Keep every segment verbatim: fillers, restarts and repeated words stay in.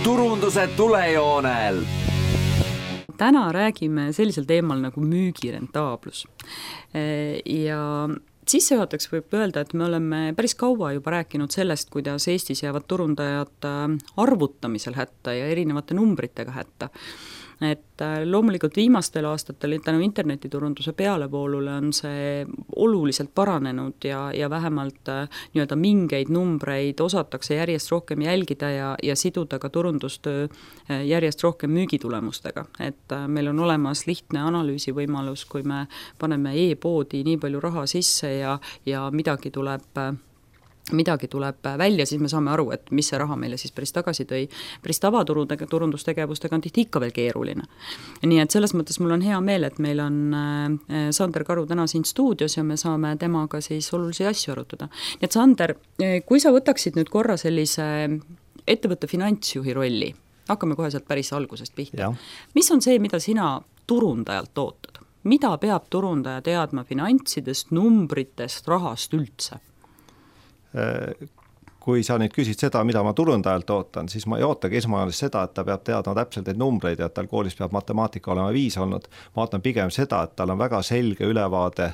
turunduse tulejoonel. Täna räägime sellisel teemal nagu müügirentaablus. Ja sissejuhataks võib öelda, et me oleme päris kaua juba rääkinud sellest, kuidas Eestis jäävad turundajad arvutamisel hätta ja erinevate numbritega hätta. Et loomulikult viimastel aastatel tänu internetiturunduse pealevoolule on see oluliselt paranenud ja, ja vähemalt nii-öelda mingeid numbreid osatakse järjest rohkem jälgida ja, ja siduda ka turundustöö järjest rohkem müügitulemustega. Et meil on olemas lihtne analüüsivõimalus, kui me paneme e-poodi nii palju raha sisse ja, ja midagi tuleb midagi tuleb välja, siis me saame aru, et mis see raha meile siis päris tagasi tõi. Päris tavaturundustegevustega on tihti ikka veel keeruline. Nii et selles mõttes mul on hea meel, et meil on Sander Karu täna siin stuudios ja me saame temaga siis olulisi asju arutada. Nii et Sander, kui sa võtaksid nüüd korra sellise ettevõtte finantsjuhi rolli, hakkame kohe sealt päris algusest pihta. Mis on see, mida sina turundajalt ootad? Mida peab turundaja teadma finantsidest, numbritest, rahast üldse? Kui sa nüüd küsid seda, mida ma turundajalt ootan, siis ma ei ootagi esmajoones seda, et ta peab teadma täpselt neid numbreid ja et tal koolis peab matemaatika olema viis olnud. Ma ootan pigem seda, et tal on väga selge ülevaade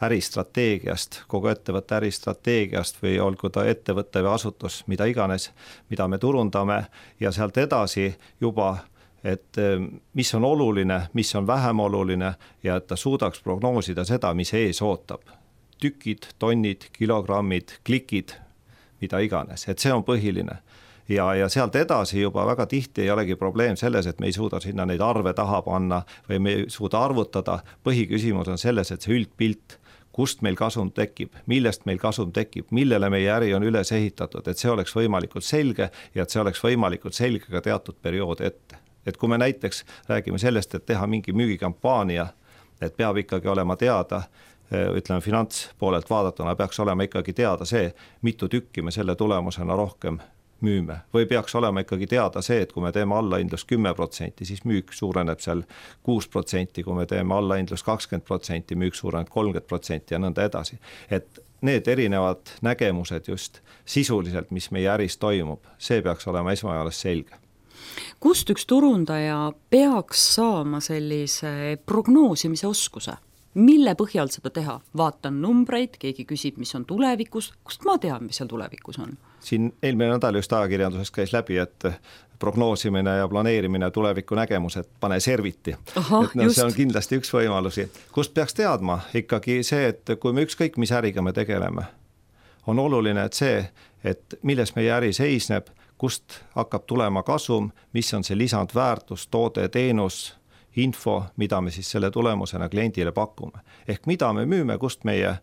äristrateegiast, kogu ettevõtte äristrateegiast või olgu ta ettevõtte või asutus, mida iganes, mida me turundame ja sealt edasi juba et mis on oluline, mis on vähem oluline ja et ta suudaks prognoosida seda, mis ees ootab. Tükid, tonnid, kilogrammid, klikid, mida iganes, et see on põhiline. Ja, ja sealt edasi juba väga tihti ei olegi probleem selles, et me ei suuda sinna neid arve taha panna või me ei suuda arvutada. Põhiküsimus on selles, et see üldpilt, kust meil kasum tekib, millest meil kasum tekib, millele meie äri on üles ehitatud, et see oleks võimalikult selge ja et see oleks võimalikult selge ka teatud periood ette. Et kui me näiteks räägime sellest, et teha mingi müügikampaania, et peab ikkagi olema teada, ütleme finantspoolelt vaadatuna peaks olema ikkagi teada see, mitu tükki me selle tulemusena rohkem müüme. Või peaks olema ikkagi teada see, et kui me teeme allahindlus kümme protsenti, siis müük suureneb seal kuus protsenti, kui me teeme allahindlus kakskümmend protsenti, müük suureneb kolmkümmend protsenti ja nõnda edasi. Et need erinevad nägemused just sisuliselt, mis meie äris toimub, see peaks olema esmajoones selge. Kust üks turundaja peaks saama sellise prognoosimise oskuse? Mille põhjal seda teha? Vaatan numbreid, keegi küsib, mis on tulevikus. Kust ma tean, mis seal tulevikus on? Siin eelmine nädal just ajakirjanduses käis läbi, et prognoosimine ja planeerimine tuleviku nägemus, et pane serviti. Aha, et no, see on kindlasti üks võimalusi. Kust peaks teadma? Ikkagi see, et kui me ükskõik mis äriga me tegeleme, on oluline, et see, et milles meie äri seisneb, kust hakkab tulema kasum, mis on see lisandväärtus, toode, teenus, info, mida me siis selle tulemusena kliendile pakume. Ehk mida me müüme, kust meie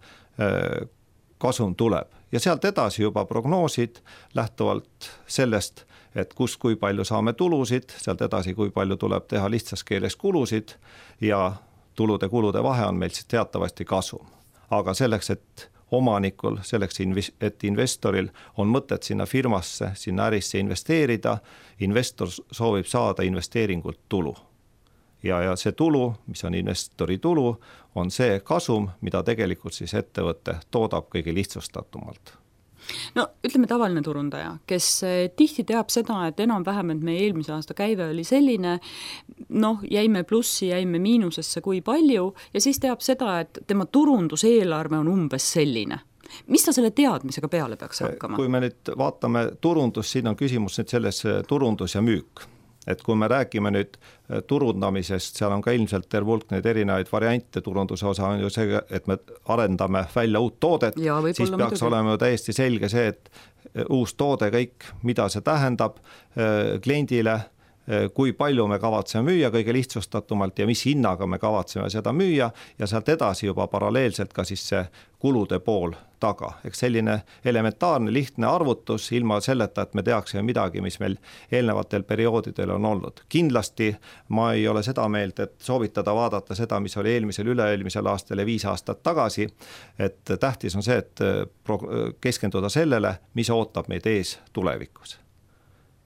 kasum tuleb. Ja sealt edasi juba prognoosid lähtuvalt sellest, et kust kui palju saame tulusid, sealt edasi kui palju tuleb teha lihtsas keeles kulusid ja tulude-kulude vahe on meil siis teatavasti kasum. Aga selleks, et omanikul, selleks, et investoril on mõtet sinna firmasse, sinna ärisse investeerida, investor soovib saada investeeringult tulu. Ja, ja see tulu, mis on investori tulu, on see kasum, mida tegelikult siis ettevõte toodab kõige lihtsustatumalt. No ütleme tavaline turundaja, kes tihti teab seda, et enam vähem, et meie eelmise aasta käive oli selline, noh, jäime plussi, jäime miinusesse kui palju ja siis teab seda, et tema turunduseelarve on umbes selline. Mis ta selle teadmisega peale peaks hakkama? Kui me nüüd vaatame turundus, siin on küsimus nüüd selles turundus ja müük. Et kui me räägime nüüd turundamisest, seal on ka ilmselt terve hulk neid erinevaid variante, turunduse osa on ju see, et me arendame välja uut toodet, ja, siis peaks midagi olema ju täiesti selge see, et uus toode kõik, mida see tähendab kliendile, kui palju me kavatseme müüa kõige lihtsustatumalt ja mis hinnaga me kavatseme seda müüa ja sealt edasi juba paralleelselt ka siis see kulude pool taga. Eks selline elementaarne lihtne arvutus ilma selleta, et me teaksime midagi, mis meil eelnevatel perioodidel on olnud. Kindlasti ma ei ole seda meelt, et soovitada vaadata seda, mis oli eelmisel, üle-eelmisel aastal ja viis aastat tagasi, et tähtis on see, et keskenduda sellele, mis ootab meid ees tulevikus.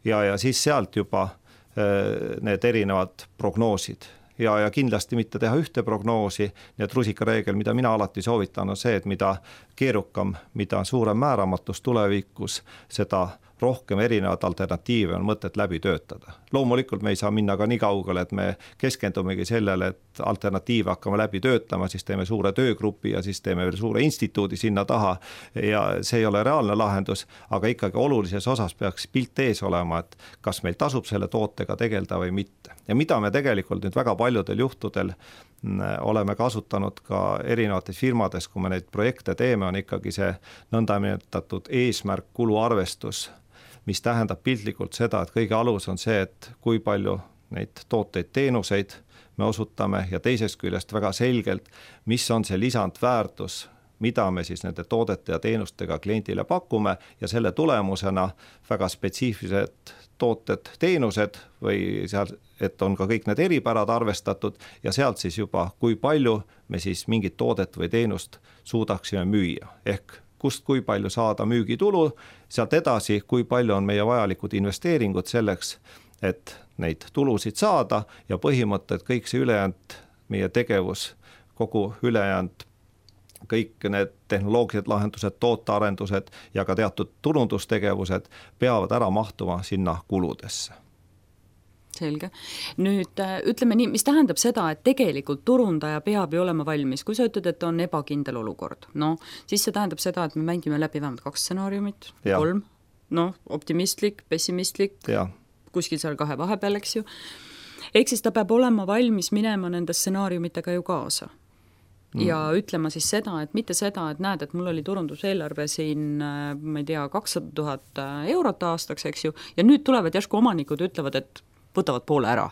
Ja, ja siis sealt juba need erinevad prognoosid ja, ja kindlasti mitte teha ühte prognoosi, nii et rusikareegel, mida mina alati soovitan, on see, et mida keerukam, mida suurem määramatus tulevikus, seda rohkem erinevaid alternatiive on mõtet läbi töötada. Loomulikult me ei saa minna ka nii kaugele, et me keskendumegi sellele, et alternatiive hakkame läbi töötama, siis teeme suure töögrupi ja siis teeme veel suure instituudi sinna taha ja see ei ole reaalne lahendus, aga ikkagi olulises osas peaks pilt ees olema, et kas meil tasub selle tootega tegeleda või mitte. Ja mida me tegelikult nüüd väga paljudel juhtudel oleme kasutanud ka erinevates firmades, kui me neid projekte teeme, on ikkagi see nõndanimetatud eesmärk kuluarvestus, mis tähendab piltlikult seda, et kõige alus on see, et kui palju neid tooteid, teenuseid me osutame ja teisest küljest väga selgelt, mis on see lisandväärtus, mida me siis nende toodete ja teenustega kliendile pakume ja selle tulemusena väga spetsiifilised tooted, teenused või seal, et on ka kõik need eripärad arvestatud ja sealt siis juba, kui palju me siis mingit toodet või teenust suudaksime müüa. Ehk kust kui palju saada müügitulu, sealt edasi, kui palju on meie vajalikud investeeringud selleks, et neid tulusid saada ja põhimõtted, kõik see ülejäänud meie tegevus, kogu ülejäänud kõik need tehnoloogilised lahendused, tootearendused ja ka teatud turundustegevused peavad ära mahtuma sinna kuludesse. Selge. Nüüd ütleme nii, mis tähendab seda, et tegelikult turundaja peab ju olema valmis, kui sa ütled, et on ebakindel olukord, no siis see tähendab seda, et me mängime läbi vähemalt kaks stsenaariumit, kolm, no optimistlik, pessimistlik, ja. Kuskil seal kahe vahepeal, eks ju. Ehk siis ta peab olema valmis minema nende stsenaariumitega ju kaasa. Ja ütlema siis seda, et mitte seda, et näed, et mul oli turunduseelarve siin, ma ei tea, kakssada tuhat eurot aastaks, eks ju, ja nüüd tulevad järsku omanikud ütlevad, et võtavad poole ära.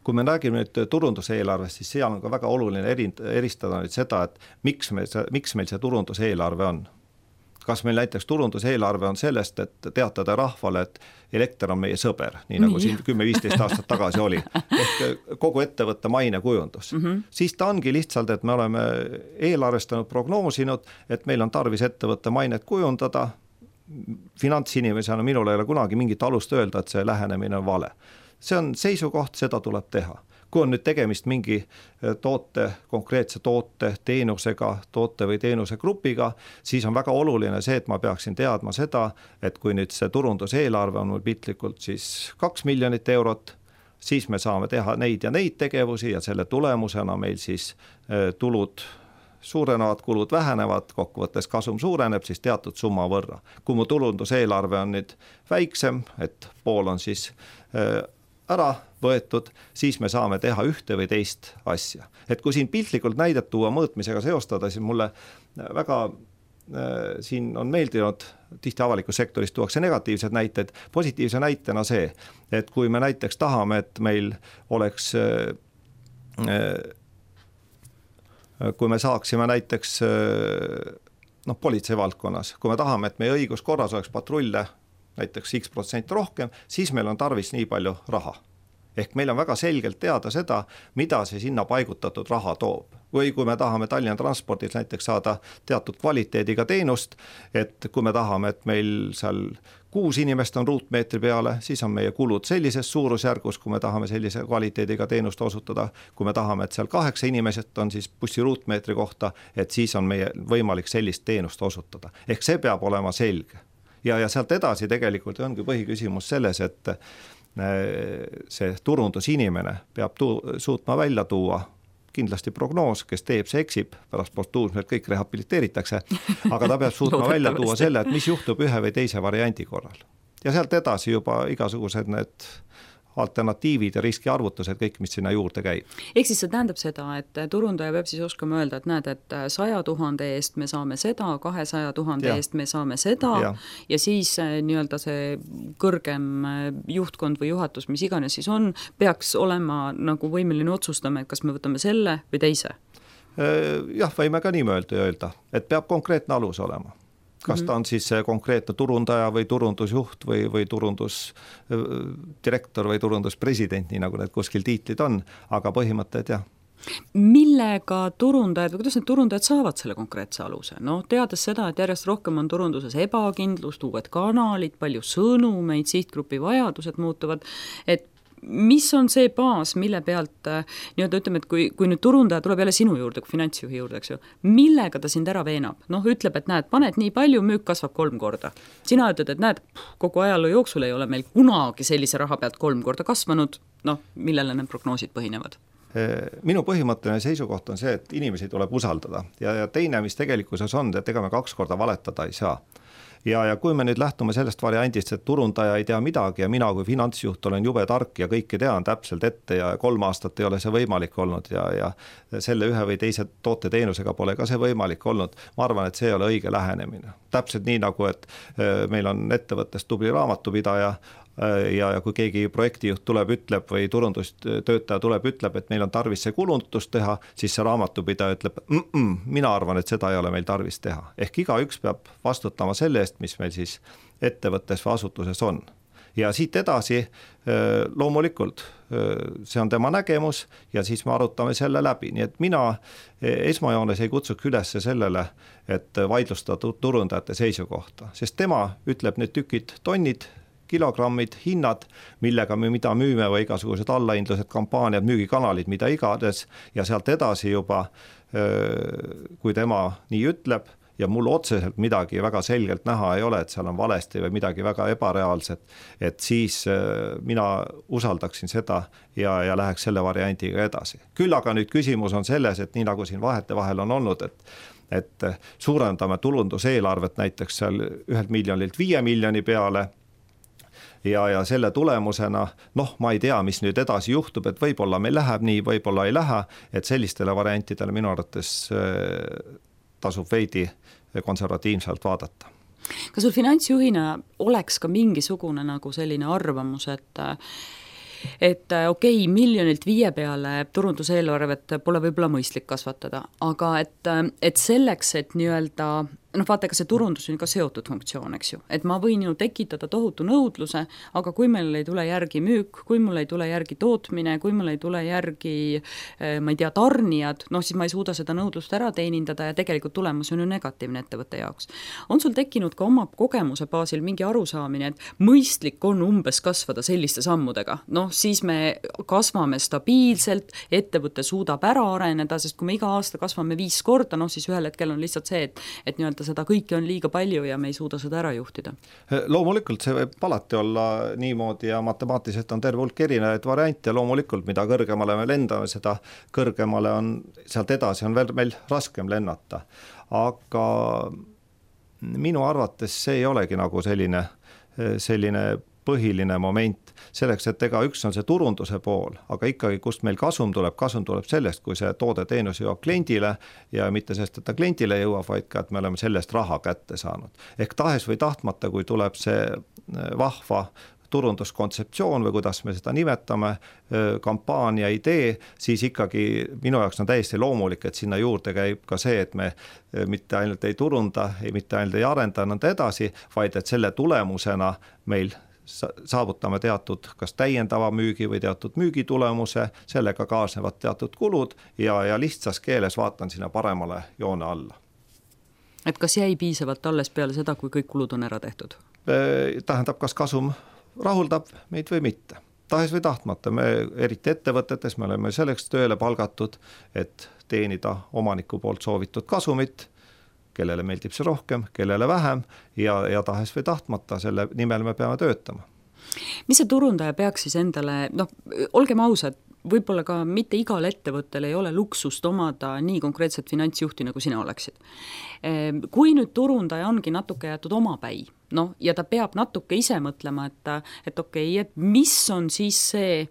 Kui me räägime nüüd turunduseelarvest, siis seal on ka väga oluline eristada nüüd seda, et miks, me, miks meil see turunduseelarve on. Kas meil näiteks turunduseelarve on sellest, et teatada rahvale, et elekter on meie sõber, nii nagu siin kümme viisteist aastat tagasi oli, ehk kogu ettevõtte maine kujundus. Mm-hmm. Siis ta ongi lihtsalt, et me oleme eelarvestanud, prognoosinud, et meil on tarvis ettevõtte mainet kujundada. Finantsinimesena minul ei ole kunagi mingit alust öelda, et see lähenemine on vale. See on seisukoht, seda tuleb teha. Kui on nüüd tegemist mingi toote, konkreetse toote, teenusega, toote või teenuse grupiga, siis on väga oluline see, et ma peaksin teadma seda, et kui nüüd see turunduseelarve on mul piltlikult siis kaks miljonit eurot, siis me saame teha neid ja neid tegevusi ja selle tulemusena meil siis tulud suurenevad, kulud vähenevad, kokkuvõttes kasum suureneb siis teatud summa võrra. Kui mu turunduseelarve on nüüd väiksem, et pool on siis ära võetud, siis me saame teha ühte või teist asja. Et kui siin piltlikult näidet tuua mõõtmisega seostada, siis mulle väga äh, siin on meeldinud, tihti avalikus sektoris tuuakse negatiivsed näited, positiivse näitena see, et kui me näiteks tahame, et meil oleks äh, äh, kui me saaksime näiteks äh, noh, politsei valdkonnas, kui me tahame, et meie õiguskorras oleks patrulle näiteks X protsent rohkem, siis meil on tarvis nii palju raha. Ehk meil on väga selgelt teada seda, mida see sinna paigutatud raha toob. Või kui me tahame Tallinna transpordis näiteks saada teatud kvaliteediga teenust, et kui me tahame, et meil seal kuus inimest on ruutmeetri peale, siis on meie kulud sellises suurusjärgus, kui me tahame sellise kvaliteediga teenust osutada. Kui me tahame, et seal kaheksa inimesed on siis bussi ruutmeetri kohta, et siis on meie võimalik sellist teenust osutada. Ehk see peab olema selge. Ja, ja sealt edasi tegelikult ongi põhiküsimus selles, et see turundusinimene peab tu- suutma välja tuua kindlasti prognoos, kes teeb, see eksib, pärast postuumselt kõik rehabiliteeritakse, aga ta peab suutma välja tuua selle, et mis juhtub ühe või teise variandi korral. Ja sealt edasi juba igasugused need alternatiivid ja riskiarvutused, kõik, mis sinna juurde käib. Ehk siis see tähendab seda, et turundaja peab siis oskama öelda, et näed, et saja tuhande eest me saame seda, kahesaja tuhande eest me saame seda ja, ja siis nii-öelda see kõrgem juhtkond või juhatus, mis iganes siis on, peaks olema nagu võimeline otsustama, et kas me võtame selle või teise. Jah, võime ka nii öelda, et peab konkreetne alus olema. Kas ta on siis konkreetne turundaja või turundusjuht või, või turundusdirektor või turunduspresident, nii nagu need kuskil tiitlid on, aga põhimõtted jah. Millega turundajad või kuidas need turundajad saavad selle konkreetse aluse? No teades seda, et järjest rohkem on turunduses ebakindlust, uued kanalid, palju sõnumeid, sihtgrupi vajadused muutuvad, et mis on see baas, mille pealt nii-öelda ütleme, et kui, kui nüüd turundaja tuleb jälle sinu juurde, kui finantsjuhi juurde, eks ju, millega ta sind ära veenab? Noh, ütleb, et näed, paned nii palju, müük kasvab kolm korda. Sina ütled, et näed, kogu ajaloo jooksul ei ole meil kunagi sellise raha pealt kolm korda kasvanud, noh, millele need prognoosid põhinevad? Minu põhimõtteline seisukoht on see, et inimesi tuleb usaldada ja, ja teine, mis tegelikkuses on, et ega me kaks korda valetada ei saa. Ja, ja kui me nüüd lähtume sellest variandist, et turundaja ei tea midagi ja mina kui finantsjuht olen jube tark ja kõike tean täpselt ette ja kolm aastat ei ole see võimalik olnud ja, ja selle ühe või teise toote teenusega pole ka see võimalik olnud, ma arvan, et see ei ole õige lähenemine. Täpselt nii nagu, et meil on ettevõttes tubli raamatupidaja, ja, ja kui keegi projektijuht tuleb, ütleb või turundustöötaja tuleb, ütleb, et meil on tarvis see kulutust teha, siis see raamatupidaja ütleb, mm-mm, mina arvan, et seda ei ole meil tarvis teha. Ehk igaüks peab vastutama selle eest, mis meil siis ettevõttes või asutuses on. Ja siit edasi loomulikult see on tema nägemus ja siis me arutame selle läbi. Nii et mina esmajoones ei kutsuks üles sellele, et vaidlustada turundajate seisukohta, sest tema ütleb need tükid, tonnid, kilogrammid, hinnad, millega me mida müüme või igasugused allahindlused, kampaaniad, müügikanalid, mida igades ja sealt edasi juba, kui tema nii ütleb ja mul otseselt midagi väga selgelt näha ei ole, et seal on valesti või midagi väga ebareaalset, et siis mina usaldaksin seda ja, ja läheks selle variandiga edasi. Küll aga nüüd küsimus on selles, et nii nagu siin vahete vahel on olnud, et et suurendame tulunduseelarvet näiteks seal ühelt miljonilt viie miljoni peale, Ja, ja selle tulemusena, noh, ma ei tea, mis nüüd edasi juhtub, et võib-olla meil läheb nii, võib-olla ei lähe, et sellistele variantidele minu arvates tasub veidi konservatiivselt vaadata. Kas sul finantsjuhina oleks ka mingisugune nagu selline arvamus, et et okei, okay, miljonilt viie peale turunduseelarvet pole võib-olla mõistlik kasvatada, aga et, et selleks, et nii-öelda noh, vaata, ega see turundus on ka seotud funktsioon, eks ju, et ma võin ju tekitada tohutu nõudluse, aga kui meil ei tule järgi müük, kui mul ei tule järgi tootmine, kui mul ei tule järgi, ma ei tea, tarnijad, noh, siis ma ei suuda seda nõudlust ära teenindada ja tegelikult tulemus on ju negatiivne ettevõtte jaoks. On sul tekkinud ka oma kogemuse baasil mingi arusaamine, et mõistlik on umbes kasvada selliste sammudega? Noh, siis me kasvame stabiilselt, ettevõte suudab ära areneda, sest kui me iga aasta kasvame viis korda, noh, siis ühel hetkel on lihtsalt see, et, et nii-öelda seda kõike on liiga palju ja me ei suuda seda ära juhtida. Loomulikult see võib alati olla niimoodi ja matemaatiliselt on terve hulk erinevaid variante ja loomulikult mida kõrgemale me lendame, seda kõrgemale on, sealt edasi on veel meil raskem lennata. Aga minu arvates see ei olegi nagu selline, selline põhiline moment selleks, et ega üks on see turunduse pool, aga ikkagi kust meil kasum tuleb, kasum tuleb sellest, kui see toode teenus jõuab kliendile ja mitte sellest, et ta kliendile jõuab, vaid ka, et me oleme sellest raha kätte saanud. Ehk tahes või tahtmata, kui tuleb see vahva turunduskontseptsioon või kuidas me seda nimetame, kampaania idee, siis ikkagi minu jaoks on täiesti loomulik, et sinna juurde käib ka see, et me mitte ainult ei turunda, mitte ainult ei arenda nõnda edasi, vaid et selle tulemusena meil saavutame teatud kas täiendava müügi või teatud müügitulemuse, sellega kaasnevad teatud kulud ja, ja lihtsas keeles vaatan sinna paremale joone alla. Et kas jäi piisavalt alles peale seda, kui kõik kulud on ära tehtud? Tähendab, kas kasum rahuldab meid või mitte. Tahes või tahtmata, me eriti ettevõtetes me oleme selleks tööle palgatud, et teenida omaniku poolt soovitud kasumit, kellele meeldib see rohkem, kellele vähem ja, ja tahes või tahtmata selle nimel me peame töötama. Mis see turundaja peaks siis endale, noh, olgem ausad, võib-olla ka mitte igal ettevõttel ei ole luksust omada nii konkreetset finantsjuhti, nagu sina oleksid. Kui nüüd turundaja ongi natuke jätud omapäi, noh, ja ta peab natuke ise mõtlema, et, et okei, okay, et mis on siis see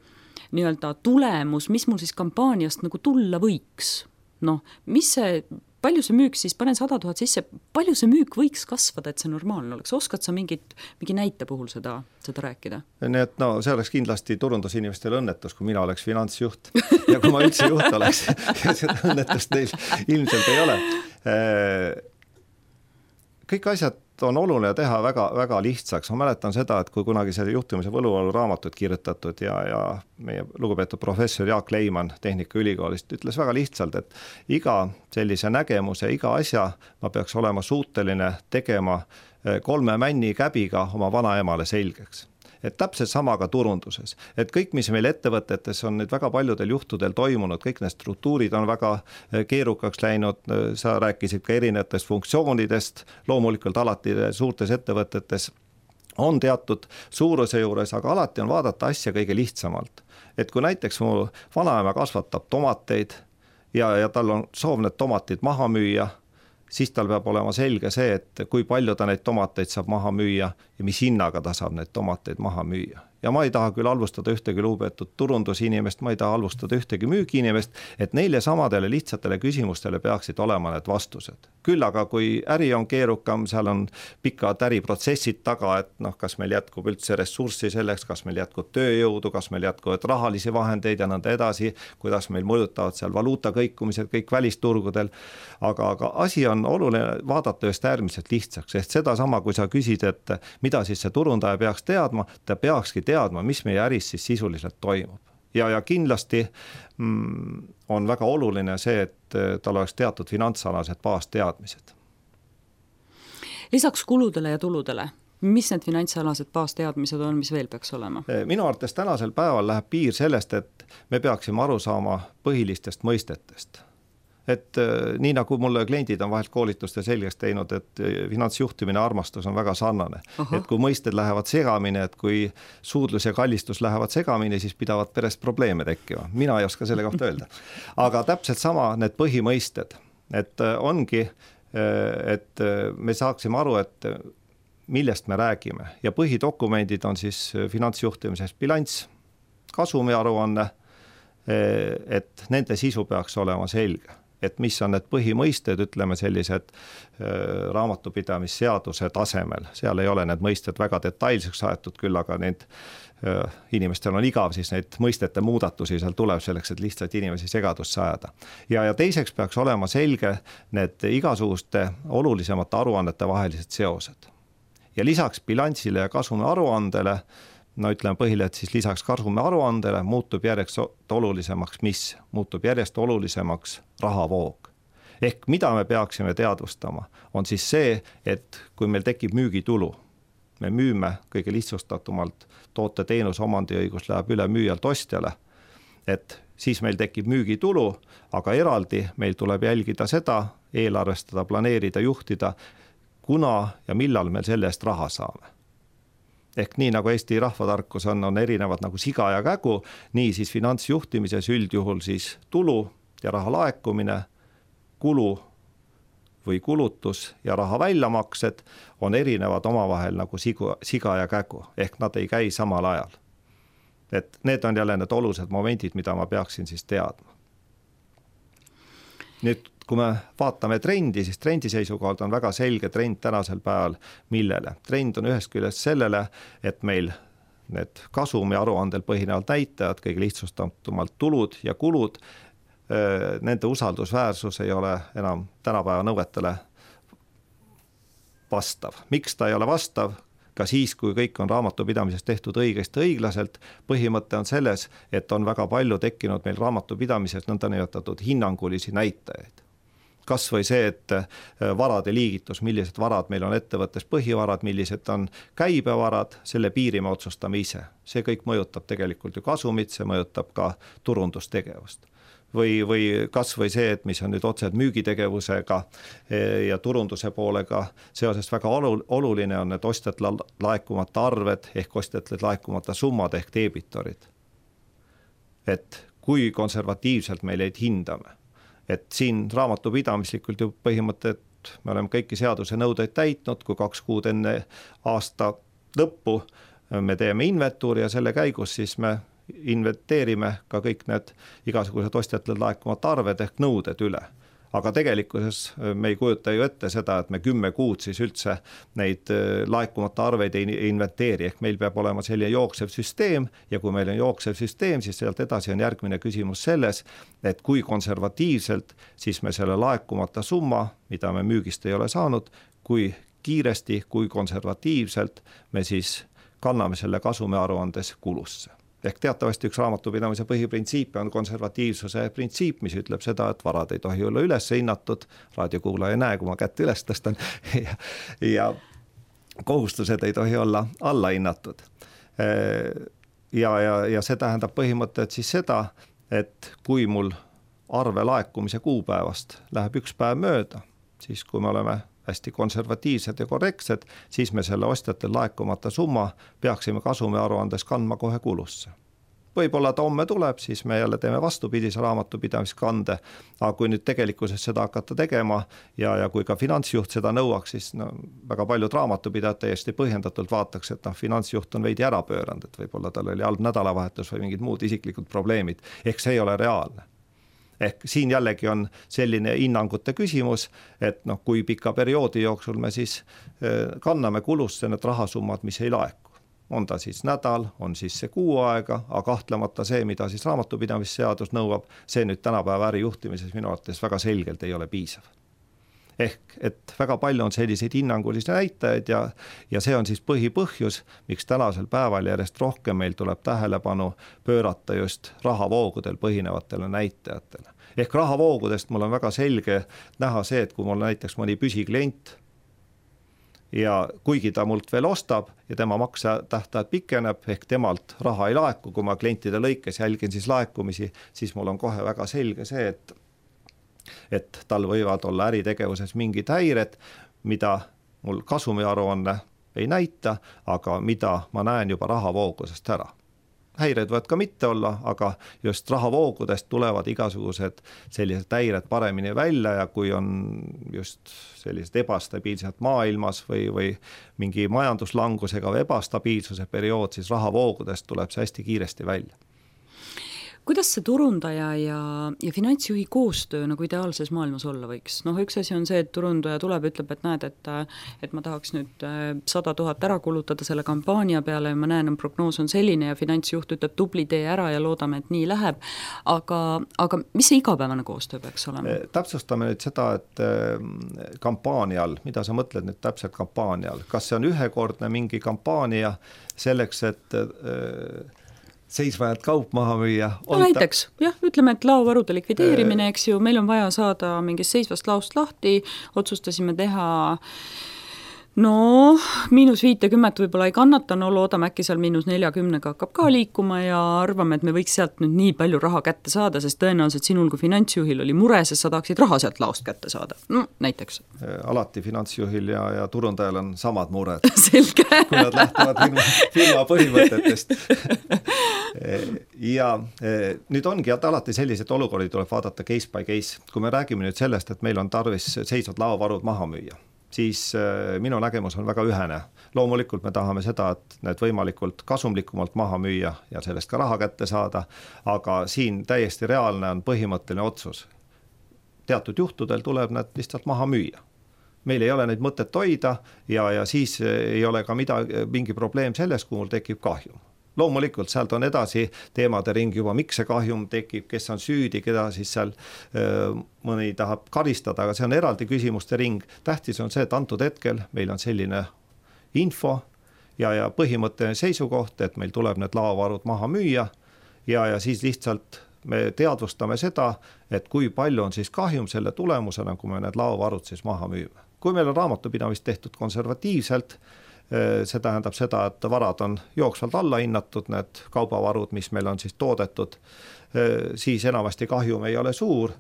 nii-öelda tulemus, mis mul siis kampaaniast nagu tulla võiks, noh, mis see palju see müük siis, panen sada tuhat sisse, palju see müük võiks kasvada, et see normaalne oleks? Oskad sa mingit, mingi näite puhul seda, seda rääkida? Nii et no, see oleks kindlasti turundusinimestel õnnetus, kui mina oleks finantsjuht ja kui ma üldse juht oleks ja seda õnnetust neil ilmselt ei ole. Kõik asjad on oluline teha väga, väga lihtsaks. Ma mäletan seda, et kui kunagi see juhtimise võluvalu raamatut kirjutatud ja, ja meie lugupeetud professor Jaak Leiman Tehnikaülikoolist ütles väga lihtsalt, et iga sellise nägemuse, iga asja ma peaks olema suuteline tegema kolme männi käbiga oma vanaemale selgeks. et täpselt sama ka turunduses, et kõik, mis meil ettevõtetes on nüüd väga paljudel juhtudel toimunud, kõik need struktuurid on väga keerukaks läinud, sa rääkisid ka erinevatest funktsioonidest, loomulikult alati suurtes ettevõtetes on teatud suuruse juures, aga alati on vaadata asja kõige lihtsamalt. Et kui näiteks mu vanaema kasvatab tomateid ja, ja tal on soov need tomatid maha müüa, siis tal peab olema selge see, et kui palju ta neid tomateid saab maha müüa ja mis hinnaga ta saab neid tomateid maha müüa. Ja ma ei taha küll halvustada ühtegi lugupeetud turundusinimest, ma ei taha halvustada ühtegi müügiinimest, et neile samadele lihtsatele küsimustele peaksid olema need vastused. Küll aga kui äri on keerukam, seal on pikad äriprotsessid taga, et noh, kas meil jätkub üldse ressurssi selleks, kas meil jätkub tööjõudu, kas meil jätkuvad rahalisi vahendeid ja nõnda edasi, kuidas meil mõjutavad seal valuuta kõikumised kõik välisturgudel. Aga, aga asi on oluline vaadata just äärmiselt lihtsaks, sest seda sama, kui sa küsid, et mida siis see turundaja peaks teadma, ta peakski teadma, mis meie äris siis sisuliselt toimub. Ja, ja kindlasti mm, on väga oluline see, et tal oleks teatud finantsalased baasteadmised. Lisaks kuludele ja tuludele, mis need finantsalased baasteadmised on, mis veel peaks olema? Minu arvates tänasel päeval läheb piir sellest, et me peaksime aru saama põhilistest mõistetest. Et nii nagu mulle kliendid on vahelt koolituste selgeks teinud, et finantsjuhtimine armastus on väga sarnane. Aha. Et kui mõisted lähevad segamini, et kui suudlus ja kallistus lähevad segamini, siis pidavad perest probleeme tekkima. Mina ei oska selle kohta öelda. Aga täpselt sama need põhimõisted, et ongi, et me saaksime aru, et millest me räägime. Ja põhidokumendid on siis finantsjuhtimises bilanss, kasumiaruanne, et nende sisu peaks olema selge. Et mis on need põhimõisted, ütleme sellised äh, raamatupidamisseaduse tasemel. Seal ei ole need mõisted väga detailseks aetud küll, aga need äh, inimestel on igav, siis neid mõistete muudatusi seal tuleb selleks, et lihtsalt inimesi segadusse ajada. Ja, ja teiseks peaks olema selge need igasuguste olulisemate aruannete vahelised seosed. Ja lisaks bilansile ja kasumi aruandele, no ütleme põhile, et siis lisaks kasumi aruandele muutub järjest olulisemaks, mis muutub järjest olulisemaks rahavoog. Ehk mida me peaksime teadvustama, on siis see, et kui meil tekib müügitulu, me müüme kõige lihtsustatumalt toote teenus omandiõigus läheb üle müüjalt ostjale, et siis meil tekib müügitulu, aga eraldi meil tuleb jälgida seda, eelarvestada, planeerida, juhtida, kuna ja millal me selle eest raha saame. Ehk nii nagu Eesti rahvatarkus on, on erinevad nagu siga ja kägu, nii siis finantsjuhtimises üldjuhul siis tulu ja raha laekumine, kulu või kulutus ja raha väljamaksed on erinevad omavahel nagu sigu, siga ja kägu, ehk nad ei käi samal ajal. Et need on jälle need olulised momendid, mida ma peaksin siis teadma. Nüüd, kui me vaatame trendi, siis trendi seisukohalt on väga selge trend tänasel päeval millele. Trend on ühest küljest sellele, et meil need kasumi aruandel põhinevad näitajad, kõige lihtsustatumalt tulud ja kulud, nende usaldusväärsus ei ole enam tänapäeva nõuetele vastav. Miks ta ei ole vastav? Ka siis, kui kõik on raamatupidamises tehtud õigesti õiglaselt, põhimõte on selles, et on väga palju tekkinud meil raamatupidamises nõnda nimetatud hinnangulisi näitajaid. Kas või see, et varade liigitus, millised varad meil on ettevõttes põhivarad, millised on käibevarad, selle piiri me otsustame ise. See kõik mõjutab tegelikult ju kasumit, see mõjutab ka turundustegevust. Või, või kas või see, et mis on nüüd otseselt müügitegevusega ja turunduse poolega seoses väga oluline on need ostjatele laekumata arved ehk ostjatele laekumata summad ehk debitorid. Et kui konservatiivselt me neid hindame. Et siin raamatupidamislikult ju põhimõte, et me oleme kõiki seaduse nõudeid täitnud, kui kaks kuud enne aasta lõppu me teeme inventuuri ja selle käigus siis me inventeerime ka kõik need igasugused ostjatele laekumata arved ehk nõuded üle. Aga tegelikkuses me ei kujuta ju ette seda, et me kümme kuud siis üldse neid laekumata arveid ei inventeeri, ehk meil peab olema selline jooksev süsteem ja kui meil on jooksev süsteem, siis sealt edasi on järgmine küsimus selles, et kui konservatiivselt siis me selle laekumata summa, mida me müügist ei ole saanud, kui kiiresti, kui konservatiivselt me siis kanname selle kasumi aruandes kulusse. Ehk teatavasti üks raamatupidamise põhiprintsiip on konservatiivsuse printsiip, mis ütleb seda, et varad ei tohi olla üles hinnatud, raadiokuulaja ei näe, kui ma kätt üles tõstan, ja, ja kohustused ei tohi olla alla hinnatud. ja, ja, ja see tähendab põhimõtteliselt siis seda, et kui mul arve laekumise kuupäevast läheb üks päev mööda, siis kui me oleme hästi konservatiivsed ja korrektsed, siis me selle ostjatel laekumata summa peaksime kasumi aruandes kandma kohe kulusse. Võib-olla ta homme tuleb, siis me jälle teeme vastupidise raamatupidamiskande, aga kui nüüd tegelikkuses seda hakata tegema ja, ja kui ka finantsjuht seda nõuaks, siis no, väga paljud raamatupidajad täiesti põhjendatult vaataks, et noh, finantsjuht on veidi ära pööranud, et võib-olla tal oli halb nädalavahetus või mingid muud isiklikud probleemid, ehk see ei ole reaalne. Ehk siin jällegi on selline hinnangute küsimus, et noh, kui pika perioodi jooksul me siis kanname kulusse need rahasummad, mis ei laeku. On ta siis nädal, on siis see kuu aega, aga kahtlemata see, mida siis raamatupidamisseadus nõuab, see nüüd tänapäeva ärijuhtimises minu arvates väga selgelt ei ole piisav. Ehk, et väga palju on selliseid hinnangulisi näitajaid ja, ja see on siis põhipõhjus, miks tänasel päeval järjest rohkem meil tuleb tähelepanu pöörata just rahavoogudel põhinevatele näitajatele. Ehk rahavoogudest mul on väga selge näha see, et kui mul näiteks mõni püsiklient ja kuigi ta mult veel ostab ja tema maksetähtajad pikeneb, ehk temalt raha ei laeku, kui ma klientide lõikes jälgin siis laekumisi, siis mul on kohe väga selge see, et, et tal võivad olla äritegevuses mingid häired, mida mul kasumiaruanne ei näita, aga mida ma näen juba rahavoogudest ära. Häired võivad ka mitte olla, aga just rahavoogudest tulevad igasugused sellised häired paremini välja ja kui on just sellised ebastabiilsed maailmas või, või mingi majanduslangusega või ebastabiilsuse periood, siis rahavoogudest tuleb see hästi kiiresti välja. Kuidas see turundaja ja, ja finantsjuhi koostöö nagu ideaalses maailmas olla võiks? Noh, üks asi on see, et turundaja tuleb, ütleb, et näed, et, et ma tahaks nüüd sada tuhat ära kulutada selle kampaania peale ja ma näen, et prognoos on selline ja finantsjuht ütleb tubli tee ära ja loodame, et nii läheb. Aga, aga mis see igapäevane koostöö peaks olema? Täpsustame nüüd seda, et kampaanial, mida sa mõtled nüüd täpselt kampaanial? Kas see on ühekordne mingi kampaania selleks, et seisvajad kaup maha müüa? No näiteks, jah, ütleme, et laovarude likvideerimine, eks ju, meil on vaja saada mingist seisvast laost lahti, otsustasime teha no miinus viitekümmet võib-olla ei kannata, no loodame äkki seal miinus neljakümnega hakkab ka liikuma ja arvame, et me võiks sealt nüüd nii palju raha kätte saada, sest tõenäoliselt sinul kui finantsjuhil oli mure, sest sa tahaksid raha sealt laost kätte saada. No, näiteks. Alati finantsjuhil ja, ja turundajal on samad mured. Selge. Kui nad lähtuvad firma, firma põhimõtetest. Ja nüüd ongi, et alati sellised olukordi tuleb vaadata case by case. Kui me räägime nüüd sellest, et meil on tarvis seisvad laovarud maha müüa, siis minu nägemus on väga ühene. Loomulikult me tahame seda, et need võimalikult kasumlikumalt maha müüa ja sellest ka raha kätte saada, aga siin täiesti reaalne on põhimõtteline otsus. Teatud juhtudel tuleb need lihtsalt maha müüa. Meil ei ole neid mõtet hoida ja, ja siis ei ole ka midagi, mingi probleem selles, kui mul tekib kahjum. Loomulikult sealt on edasi teemade ring juba, miks see kahjum tekib, kes on süüdi, keda siis seal öö, mõni tahab karistada, aga see on eraldi küsimuste ring. Tähtis on see, et antud hetkel meil on selline info ja, ja põhimõtteline seisukoht, et meil tuleb need laovarud maha müüa ja, ja siis lihtsalt me teadvustame seda, et kui palju on siis kahjum selle tulemusena, kui me need laovarud siis maha müüme. Kui meil on raamatupidamist tehtud konservatiivselt, see tähendab seda, et varad on jooksvalt alla hinnatud, need kaubavarud, mis meil on siis toodetud, siis enamasti kahjum ei ole suur.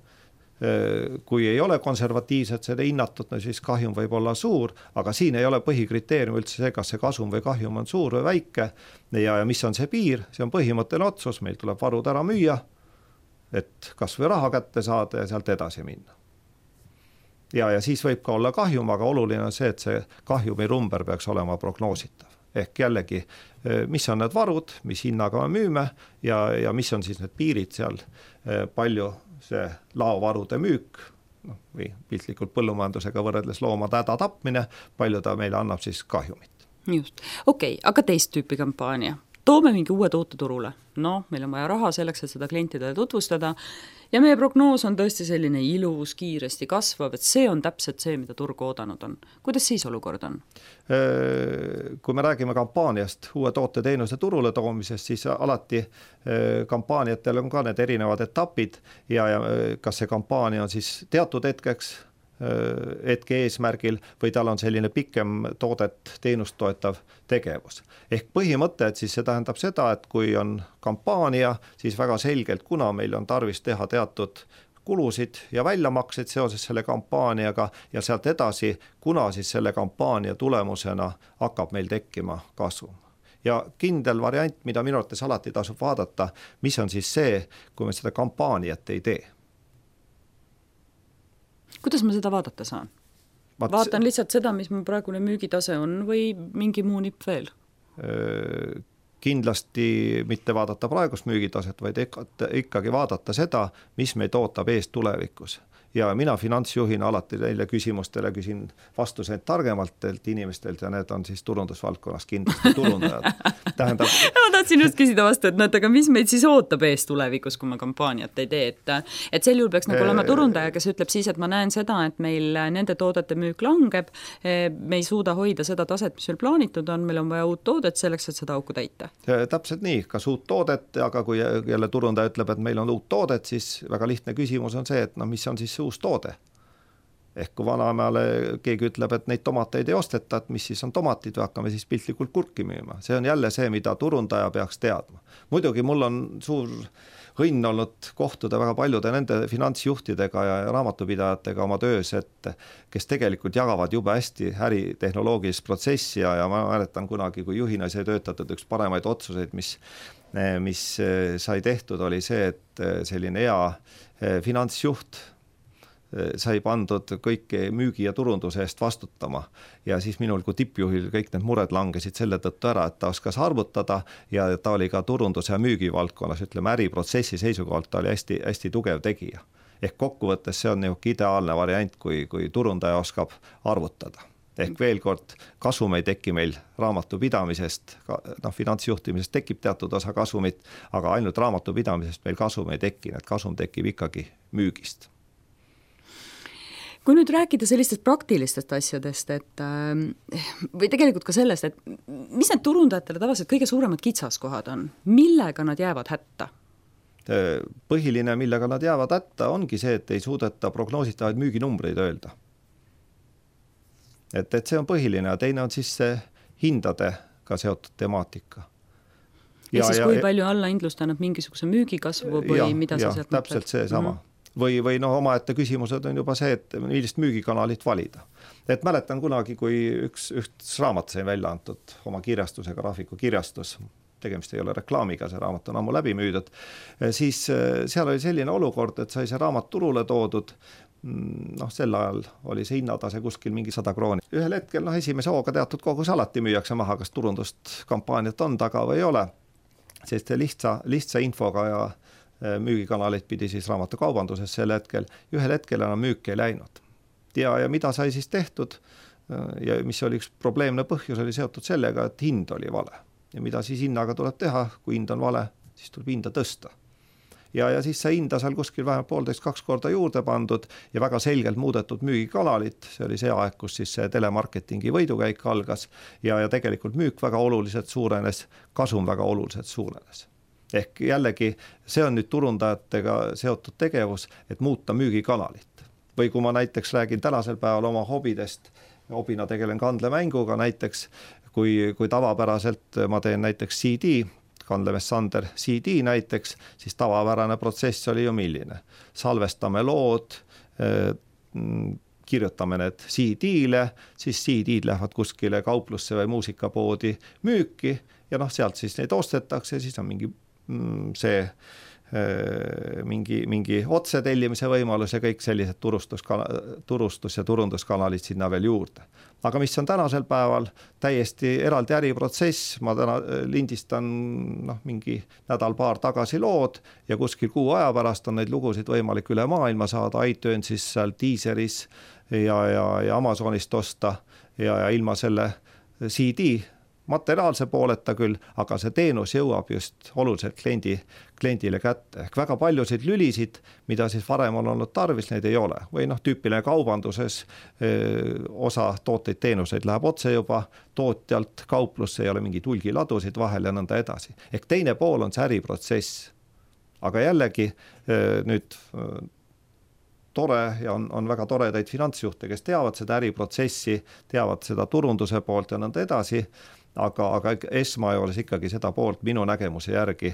Kui ei ole konservatiivselt seda hinnatud, no siis kahjum võib olla suur, aga siin ei ole põhikriteerium üldse see, kas see kasum või kahjum on suur või väike ja, ja mis on see piir, see on põhimõtteline otsus, meil tuleb varud ära müüa, et kas või raha kätte saada ja sealt edasi minna. Ja, ja siis võib ka olla kahjum, aga oluline on see, et see kahjumi rumber peaks olema prognoositav. Ehk jällegi, mis on need varud, mis hinnaga me müüme ja, ja mis on siis need piirid seal, palju see laovarude müük, no, või piltlikult põllumajandusega võrreldes loomade häda tapmine, palju ta meile annab siis kahjumit. Just, okei, okay, aga teist tüüpi kampaania. Toome mingi uue toote turule. No, meil on vaja raha selleks, et seda klientidele tutvustada ja meie prognoos on tõesti selline ilus, kiiresti kasvav, et see on täpselt see, mida turg oodanud on. Kuidas siis olukord on? Kui me räägime kampaaniast, uue toote teenuse turule toomisest, siis alati kampaaniatel on ka need erinevad etapid ja, ja kas see kampaania on siis teatud hetkeks hetke eesmärgil või tal on selline pikem toodet teenust toetav tegevus. Ehk põhimõte, et siis see tähendab seda, et kui on kampaania, siis väga selgelt, kuna meil on tarvis teha teatud kulusid ja väljamakseid seoses selle kampaaniaga ja sealt edasi, kuna siis selle kampaania tulemusena hakkab meil tekkima kasum. Ja kindel variant, mida minu arvates alati tasub vaadata, mis on siis see, kui me seda kampaaniat ei tee. Kuidas ma seda vaadata saan? Vaat... Vaatan lihtsalt seda, mis mu praegune müügitase on või mingi muu nipp veel? Kindlasti mitte vaadata praegust müügitaset, vaid ikkagi vaadata seda, mis meid ootab ees tulevikus. Ja mina finantsjuhina alati neile küsimustele küsin vastuseid targemalt inimestelt ja need on siis turundusvaldkonnas kindlasti turundajad. Tähendab... ma tahtsin just küsida vastu, et näed, aga mis meid siis ootab ees tulevikus, kui ma kampaaniat ei tee, et, et sel juhul peaks nagu olema turundaja, kes ütleb siis, et ma näen seda, et meil nende toodete müük langeb, me ei suuda hoida seda taset, mis meil plaanitud on, meil on vaja uut toodet selleks, et seda auku täita. Täpselt nii, kas uut toodet, aga kui jälle turundaja ütleb, et meil on uut toodet, siis väga lihtne küsimus on see, et no mis on siis uus toode. Ehk kui vanaemale keegi ütleb, et neid tomateid ei osteta, et mis siis on tomatid või hakkame siis piltlikult kurki müüma. See on jälle see, mida turundaja peaks teadma. Muidugi mul on suur õnn olnud kohtuda väga paljude nende finantsjuhtidega ja raamatupidajatega oma töös, et kes tegelikult jagavad jube hästi äritehnoloogilist protsessi ja, ja ma mäletan kunagi, kui juhina sai töötatud üks paremaid otsuseid, mis, mis sai tehtud, oli see, et selline hea finantsjuht sai pandud kõik müügi ja turunduse eest vastutama ja siis minul kui tippjuhil kõik need mured langesid selle tõttu ära, et ta oskas arvutada ja ta oli ka turunduse ja müügi valdkonnas, ütleme äriprotsessi seisukohalt ta oli hästi, hästi tugev tegija. Ehk kokkuvõttes see on niisugune ideaalne variant, kui, kui turundaja oskab arvutada. Ehk veel kord, kasum ei teki meil raamatupidamisest, noh, finantsjuhtimisest tekib teatud osa kasumit, aga ainult raamatupidamisest meil kasum ei teki, et kasum tekib ikkagi müügist. Kui nüüd rääkida sellistest praktilistest asjadest, et või tegelikult ka sellest, et mis need turundajatele tavaliselt kõige suuremad kitsaskohad on? Millega nad jäävad hätta? Põhiline, millega nad jäävad hätta, ongi see, et ei suudeta prognoositavaid müüginumbreid öelda. Et, et see on põhiline ja teine on siis see hindadega seotud temaatika. Ja, ja siis ja, kui palju alla hindlust annab mingisuguse müügikasvu või ja, mida ja, sa sealt mõtled? Täpselt see sama. Mm-hmm. Või, või no omaette küsimused on juba see, et millist müügikanalit valida. Et mäletan kunagi, kui üks, üks raamat sai välja antud oma kirjastusega, graafiku kirjastus, tegemist ei ole reklaamiga, see raamat on ammu läbi müüdud, siis seal oli selline olukord, et sai see raamat turule toodud, noh, sel ajal oli see hinnatase kuskil mingi sada krooni. Ühel hetkel, noh, esimese hooga teatud kogus alati müüakse maha, kas turundust kampaaniat on taga või ei ole, sest lihtsa, lihtsa infoga ja müügikanaleid pidi siis raamatokaubanduses sel hetkel, ühel hetkel enam müük ei läinud. Ja, ja mida sai siis tehtud ja mis oli üks probleemne põhjus, oli seotud sellega, et hind oli vale. Ja mida siis hinnaga tuleb teha, kui hind on vale, siis tuleb hinda tõsta. Ja, ja siis see hinda seal kuskil vähemalt poolteist kaks korda juurde pandud ja väga selgelt muudetud müügikanalit, see oli see aeg, kus siis see telemarketingi võidukäik algas ja, ja tegelikult müük väga oluliselt suurenes, kasum väga oluliselt suurenes. Ehk jällegi see on nüüd turundajatega seotud tegevus, et muuta müügikanalit. Või kui ma näiteks räägin tänasel päeval oma hobidest, hobina tegelen kandlemänguga näiteks, kui, kui tavapäraselt ma teen näiteks C D, Kandlemees Sander C D näiteks, siis tavapärane protsess oli ju milline. Salvestame lood, kirjutame need C D-le, siis C D-d lähevad kuskile kauplusse või muusikapoodi müüki ja noh, sealt siis neid ostetakse, siis on mingi see mingi, mingi otsetellimise võimalus ja kõik sellised turustus, turustus- ja turunduskanalid sinna veel juurde. Aga mis on tänasel päeval täiesti eraldi äriprotsess, ma täna lindistan noh, mingi nädal-paar tagasi lood ja kuskil kuu aja pärast on neid lugusid võimalik üle maailma saada, iTunesis, seal Deezeris ja, ja, ja Amazonist osta ja, ja ilma selle C D materiaalse pooleta küll, aga see teenus jõuab just oluliselt kliendi, kliendile kätte. Ehk väga paljusid lülisid, mida siis varem on olnud tarvis, neid ei ole. Või noh, tüüpiline kaubanduses öö, osa tooteid, teenuseid läheb otse juba tootjalt kauplusse, ei ole mingi tulgiladusid vahel ja nõnda edasi. Ehk teine pool on see äriprotsess. Aga jällegi öö, nüüd öö, tore ja on, on väga toredaid finantsjuhte, kes teavad seda äriprotsessi, teavad seda turunduse poolt ja nõnda edasi, aga, aga esmajoones ikkagi seda poolt minu nägemuse järgi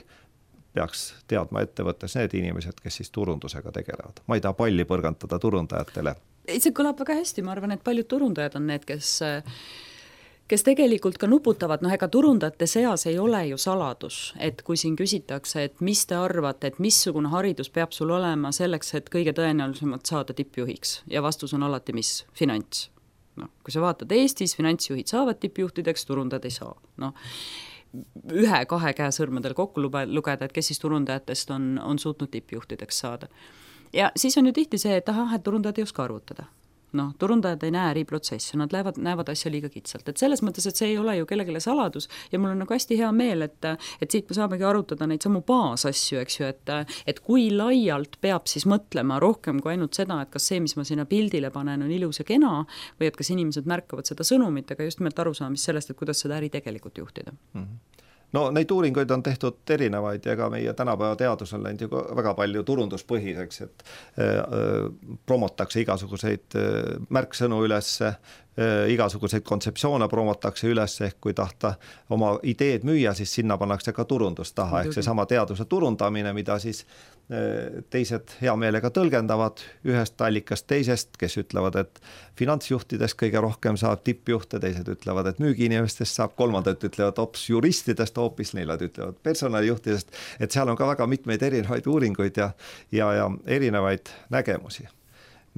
peaks teadma ettevõttes need inimesed, kes siis turundusega tegelevad. Ma ei taha palli põrgantada turundajatele. See kõlab väga hästi, ma arvan, et paljud turundajad on need, kes kes tegelikult ka nuputavad, noh ega turundajate seas ei ole ju saladus, et kui siin küsitakse, et mis te arvate, et missugune haridus peab sul olema selleks, et kõige tõenäolisemalt saada tippjuhiks ja vastus on alati mis? Finants. No, kui sa vaatad Eestis, finantsjuhid saavad tippjuhtideks, turundajad ei saa. No, ühe, kahe käe sõrmedel kokku lugeda, et kes siis turundajatest on, on suutnud tippjuhtideks saada. Ja siis on ju tihti see, et aha, et turundajad ei oska arvutada. Noh, turundajad ei näe äriprotsessi, nad lähevad, näevad asja liiga kitsalt, et selles mõttes, et see ei ole ju kellegile saladus ja mul on nagu hästi hea meel, et, et siit me saamegi arutada neid samu baasasju, eks ju, et, et kui laialt peab siis mõtlema rohkem kui ainult seda, et kas see, mis ma sinna pildile panen, on ilus ja kena või et kas inimesed märkavad seda sõnumit, aga just nimelt arusaamist sellest, et kuidas seda äri tegelikult juhtida. Mm-hmm. No neid uuringuid on tehtud erinevaid ja ega meie tänapäeva teadus on läinud ju väga palju turunduspõhiseks, et äh, promotakse igasuguseid äh, märksõnu üles, äh, igasuguseid kontseptsioone promotakse üles, ehk kui tahta oma ideed müüa, siis sinna pannakse ka turundus taha, ehk see sama teaduse turundamine, mida siis äh, teised hea meelega tõlgendavad ühest allikast teisest, kes ütlevad, et finantsjuhtidest kõige rohkem saab tippjuhte, teised ütlevad, et müügiinimestest saab, kolmandad ütlevad hoopis juristidest, hoopis neilad ütlevad personalijuhtidest, et seal on ka väga mitmeid erinevaid uuringuid ja, ja, ja erinevaid nägemusi.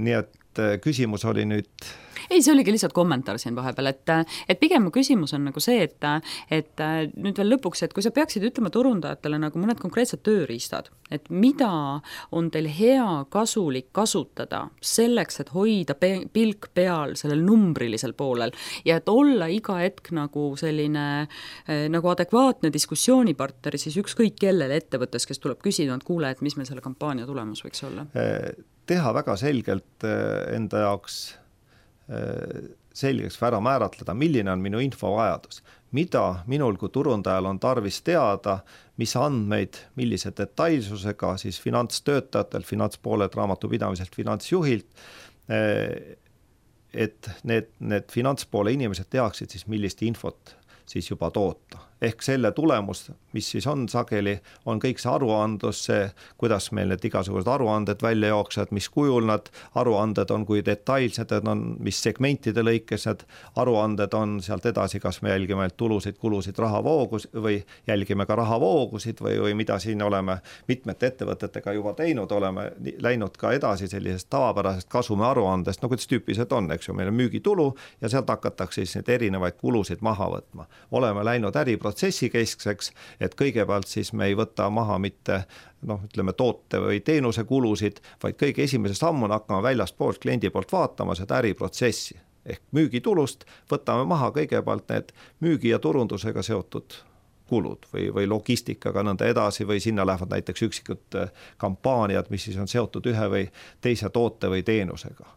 Nii et küsimus oli nüüd... Ei, see oligi lihtsalt kommentaar siin vahepeal, et, et pigem küsimus on nagu see, et, et nüüd veel lõpuks, et kui sa peaksid ütlema turundajatele nagu mõned konkreetsed tööriistad, et mida on teil hea kasulik kasutada selleks, et hoida pe- pilk peal sellel numbrilisel poolel ja et olla iga hetk nagu selline nagu adekvaatne diskussioonipartner siis ükskõik kellele ettevõttes, kes tuleb küsida, et kuule, et mis meil selle kampaania tulemus võiks olla? Teha väga selgelt enda jaoks selgeks ära määratleda, milline on minu infovajadus, mida minul kui turundajal on tarvis teada, mis andmeid, millise detailsusega siis finantstöötajatel, finantspooled raamatupidamiselt, finantsjuhilt, et need, need finantspoole inimesed teaksid siis, millist infot siis juba toota. Ehk selle tulemus, mis siis on sageli, on kõik see aruandlus, see, kuidas meil need igasugused aruanded välja jooksed, mis kujul nad aruanded on, kui detailsed on, mis segmentide lõikes need aruanded on, sealt edasi, kas me jälgime tulusid, kulusid, rahavoogus või jälgime ka rahavoogusid või, või mida siin oleme mitmete ettevõtetega juba teinud, oleme läinud ka edasi sellisest tavapärasest kasumi aruandest, no kuidas tüüpilised on, eks ju, meil on müügitulu ja sealt hakatakse siis need erinevaid kulusid maha võtma. Oleme läinud äriprotsessi keskseks, et kõigepealt siis me ei võta maha mitte noh, ütleme toote või teenuse kulusid, vaid kõige esimese sammuna hakkame väljast poolt kliendi poolt vaatama seda äriprotsessi. Ehk müügitulust võtame maha kõigepealt need müügi ja turundusega seotud kulud või, või logistikaga nõnda edasi või sinna lähevad näiteks üksikud kampaaniad, mis siis on seotud ühe või teise toote või teenusega.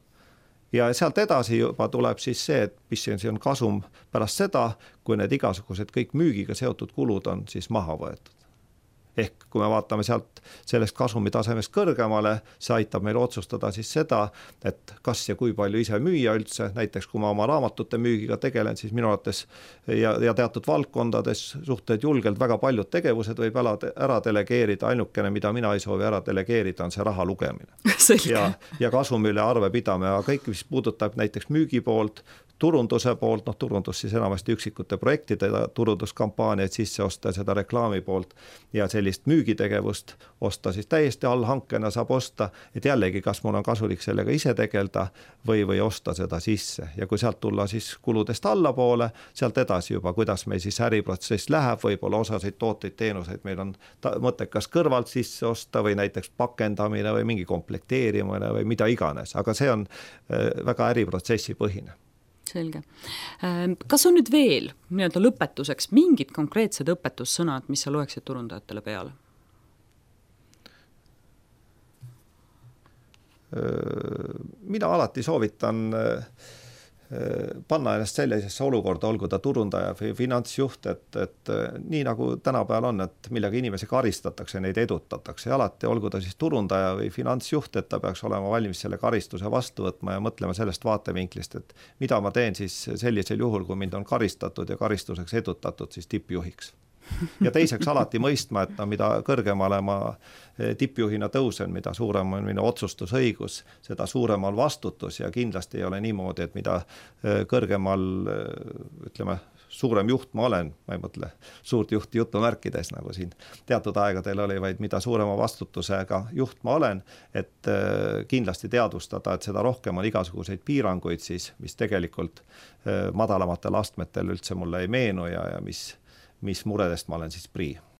Ja sealt edasi juba tuleb siis see, et mis see on kasum pärast seda, kui need igasugused kõik müügiga seotud kulud on siis maha võetud. Ehk kui me vaatame sealt sellest kasumi tasemest kõrgemale, see aitab meil otsustada siis seda, et kas ja kui palju ise müüa üldse, näiteks kui ma oma raamatute müügiga tegelen, siis minu arvates ja, ja teatud valdkondades suhted julgelt väga paljud tegevused võib ära, ära delegeerida, ainukene, mida mina ei soovi ära delegeerida, on see raha lugemine. ja, ja kasumi üle arve pidame, aga kõik, mis puudutab näiteks müügi poolt, turunduse poolt, noh turundus siis enamasti üksikute projektide turunduskampaaniaid sisse osta, seda reklaami poolt ja sellist müügitegevust osta siis täiesti allhankena saab osta, et jällegi, kas mul on kasulik sellega ise tegelda või, või osta seda sisse ja kui sealt tulla siis kuludest allapoole, sealt edasi juba, kuidas meil siis äriprotsess läheb, võib-olla osasid tooteid, teenuseid meil on mõttekas kõrvalt sisse osta või näiteks pakendamine või mingi komplekteerimine või mida iganes, aga see on väga äriprotsessi põhine. Selge. Kas on nüüd veel nii-öelda lõpetuseks mingid konkreetsed õpetussõnad, mis sa loeksid turundajatele peale? Mina alati soovitan panna ennast sellisesse olukorda, olgu ta turundaja või finantsjuht, et, et nii nagu tänapäeval on, et millega inimesi karistatakse, neid edutatakse ja alati, olgu ta siis turundaja või finantsjuht, et ta peaks olema valmis selle karistuse vastu võtma ja mõtlema sellest vaatevinklist, et mida ma teen siis sellisel juhul, kui mind on karistatud ja karistuseks edutatud siis tippjuhiks. Ja teiseks alati mõistma, et no, mida kõrgemale ma tippjuhina tõusen, mida suurem on minu otsustusõigus, seda suurem on vastutus ja kindlasti ei ole niimoodi, et mida kõrgemal, ütleme, suurem juht ma olen, ma ei mõtle suurt juhti jutumärkides, nagu siin teatud aegadel oli, vaid mida suurema vastutusega juht ma olen, et kindlasti teadvustada, et seda rohkem on igasuguseid piiranguid siis, mis tegelikult madalamatel astmetel üldse mulle ei meenu ja, ja mis mis muredest ma olen siis prii.